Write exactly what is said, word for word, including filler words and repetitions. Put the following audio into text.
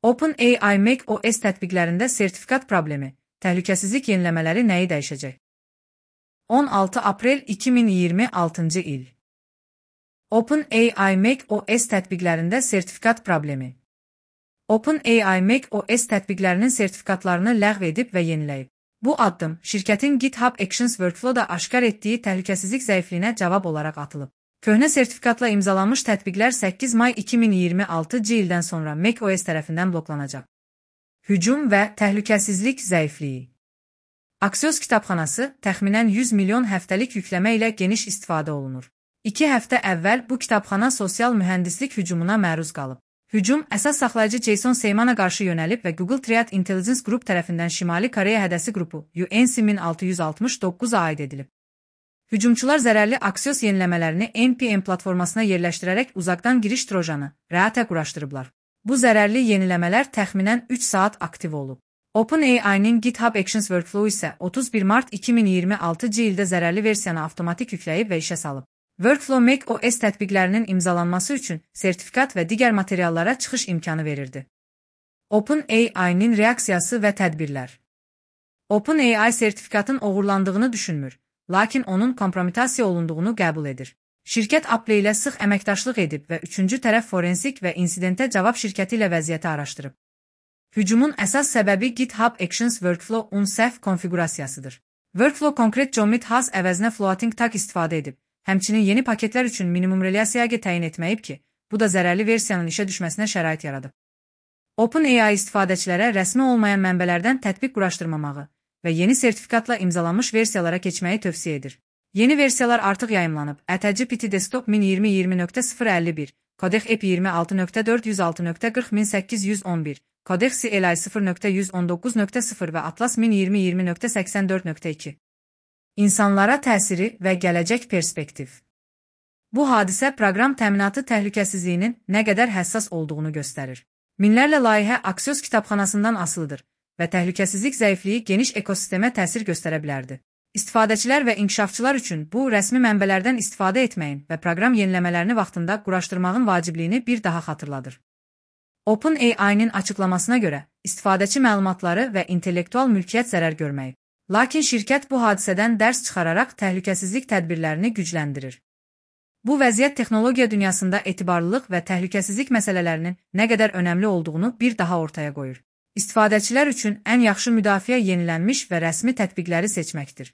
OpenAI macOS tətbiqlərində sertifikat problemi, təhlükəsizlik yeniləmələri nəyi dəyişəcək? on altı aprel iki min iyirmi altıncı il. OpenAI macOS tətbiqlərində sertifikat problemi. OpenAI macOS tətbiqlərinin sertifikatlarını ləğv edib və yeniləyib. Bu addım, şirkətin GitHub Actions Workflow-da aşkar etdiyi təhlükəsizlik zəifliyinə cavab olaraq atılıb. Köhnə sertifikatla imzalanmış tətbiqlər səkkiz may iki min iyirmi altıncı ildən sonra macOS tərəfindən bloklanacaq. Hücum və təhlükəsizlik zəifliyi. Axios kitabxanası təxminən yüz milyon həftəlik yükləmə ilə geniş istifadə olunur. İki həftə əvvəl bu kitabxana sosial mühəndislik hücumuna məruz qalıb. Hücum əsas saxlayıcı Jason Seymana qarşı yönəlib və Google Threat Intelligence Group tərəfindən Şimali Koreya hədəsi qrupu U N C min altı yüz altmış doqquza aid edilib. Hücumçular zərərli Axios yeniləmələrini N P M platformasına yerləşdirərək uzaqdan giriş trojanı, RAT-ə quraşdırıblar. Bu zərərli yeniləmələr təxminən üç saat aktiv olub. OpenAI-nin GitHub Actions Workflow isə otuz bir mart iki min iyirmi altıncı ildə zərərli versiyanı avtomatik yükləyib və işə salıb. Workflow macOS tətbiqlərinin imzalanması üçün sertifikat və digər materiallara çıxış imkanı verirdi. OpenAI-nin reaksiyası və tədbirlər. OpenAI sertifikatın oğurlandığını düşünmür, lakin onun kompromitasiya olunduğunu qəbul edir. Şirkət Apple ilə sıx əməkdaşlıq edib və üçüncü tərəf forensik və insidentə cavab şirkəti ilə vəziyyəti araşdırıb. Hücumun əsas səbəbi GitHub Actions Workflow-un səhv konfiqurasiyasıdır. Workflow konkret commit has əvəzinə floating tag istifadə edib. Həmçinin yeni paketlər üçün minimum relasiyaya təyin etməyib ki, bu da zərərli versiyanın işə düşməsinə şərait yaradıb. OpenAI istifadəçilərə rəsmi olmayan mənbələrdən tətbiq quraşdırmamağı və yeni sertifikatla imzalanmış versiyalara keçməyi tövsiyə edir. Yeni versiyalar artıq yayımlanıb. ChatGPT Desktop min iyirmi iyirmi nöqtə sıfır əlli bir, Codex E P iyirmi altı nöqtə dörd yüz altı nöqtə qırx min səkkiz yüz on bir, Codex C L I sıfır nöqtə yüz on doqquz nöqtə sıfır və Atlas min iyirmi iyirmi nöqtə səksən dörd nöqtə iki. İnsanlara təsiri və gələcək perspektiv. Bu hadisə proqram təminatı təhlükəsizliyinin nə qədər həssas olduğunu göstərir. Minlərlə layihə Axios kitabxanasından asılıdır və təhlükəsizlik zəifliyi geniş ekosistemə təsir göstərə bilərdi. İstifadəçilər və inkişafçılar üçün bu rəsmi mənbələrdən istifadə etməyin və proqram yeniləmələrini vaxtında quraşdırmağın vacibliyini bir daha xatırladır. OpenAI-nin açıqlamasına görə, istifadəçi məlumatları və intellektual mülkiyyət zərər görməyib. Lakin şirkət bu hadisədən dərs çıxararaq təhlükəsizlik tədbirlərini gücləndirir. Bu vəziyyət texnologiya dünyasında etibarlılıq və təhlükəsizlik məsələlərinin nə qədər önəmli olduğunu bir daha ortaya qoyur. İstifadəçilər üçün ən yaxşı müdafiə yenilənmiş və rəsmi tətbiqləri seçməkdir.